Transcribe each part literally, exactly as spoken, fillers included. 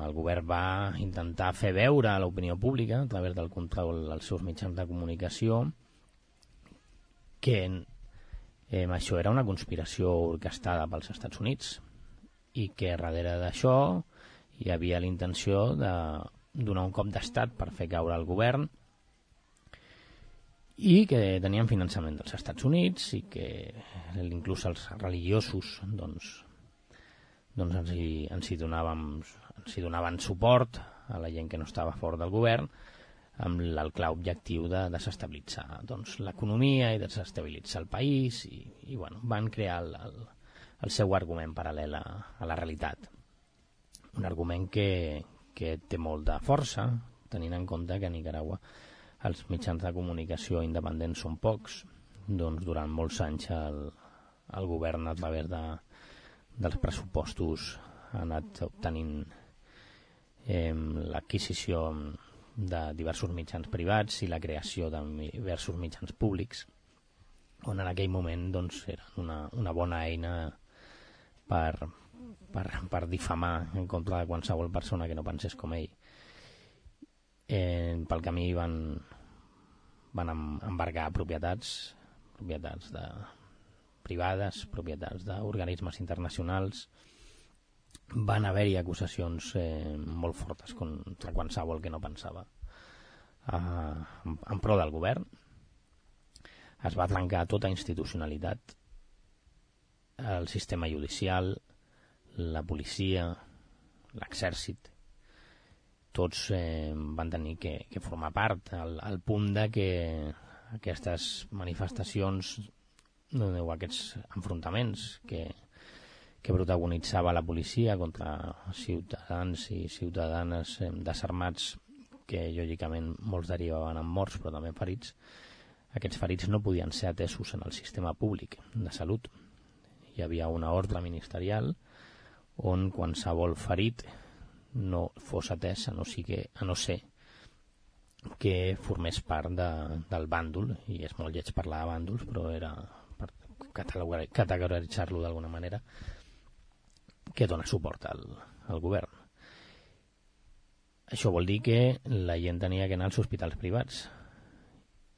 el govern va intentar fer veure a l'opinió pública, a través del control dels seus mitjans de comunicació, que eh, això era una conspiració orquestada pels Estats Units i que darrere d'això hi havia la intenció de donar un cop d'estat per fer caure el govern i que tenien finançament dels Estats Units i que inclús els religiosos doncs, doncs ens, hi, ens, hi donàvem, ens hi donaven suport a la gent que no estava fora del govern amb el clar objectiu de desestabilitzar doncs, l'economia i desestabilitzar el país i, i bueno, van crear el, el, el seu argument paral·lel a, a la realitat. Un argument que, que té molt de força, tenint en compte que a Nicaragua els mitjans de comunicació independents són pocs, doncs durant molts anys el, el govern a través de, dels pressupostos ha anat obtenint eh, l'adquisició de diversos mitjans privats i la creació de diversos mitjans públics, on en aquell moment doncs, eren una, una bona eina per, per, per difamar en contra de qualsevol persona que no pensés com ell. Eh, pel camí van, van embargar propietats, propietats de, privades, propietats d'organismes internacionals. Van haver-hi acusacions eh, molt fortes contra qualsevol que no pensava eh, en, en pro del govern. Es va trencar tota institucionalitat, el sistema judicial, la policia, l'exèrcit, tots eh, van tenir que, que formar part al, al punt de que aquestes manifestacions o aquests enfrontaments que que protagonitzava la policia contra ciutadans i ciutadanes eh, desarmats, que lògicament molts derivaven en morts però també ferits. Aquests ferits no podien ser atesos en el sistema públic de salut. Hi havia una ordre ministerial on qualsevol ferit no fos atès a no, sigui, a no ser que formés part de, del bàndol, i és molt lleig parlar de bàndols, però era per categoritzar-lo d'alguna manera, que dona suport al, al govern. Això vol dir que la gent tenia que anar als hospitals privats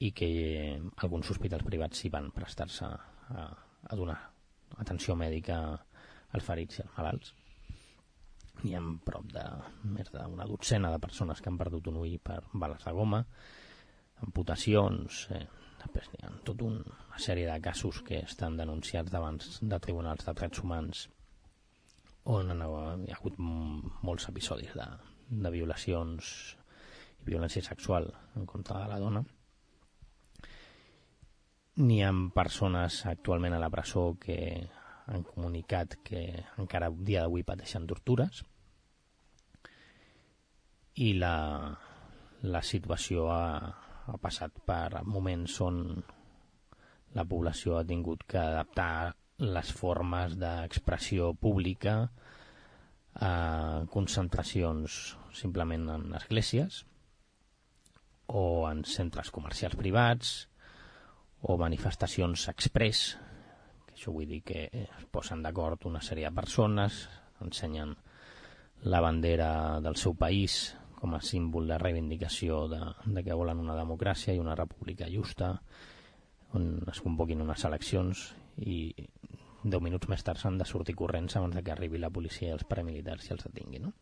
i que alguns hospitals privats s'hi van prestar-se a, a donar atenció mèdica als ferits i als malalts. Hi ha prop de més d'una dotzena de persones que han perdut un ull per bales de goma, amputacions, eh, després hi ha tota una sèrie de casos que estan denunciats davant de tribunals de drets humans on hi ha hagut molts episodis de, de violacions i violència sexual en contra de la dona. N'hi ha persones actualment a la presó que han comunicat que encara a dia d'avui pateixen tortures i la, la situació ha, ha passat per moments on la població ha tingut que adaptar les formes d'expressió pública a concentracions simplement en esglésies o en centres comercials privats o manifestacions express, que això vull dir que es posen d'acord una sèrie de persones, ensenyen la bandera del seu país com a símbol de reivindicació de, de que volen una democràcia i una república justa, on es convoquin unes eleccions i deu minuts més tard s'han de sortir corrents abans de que arribi la policia i els paramilitars i els detinguin, no?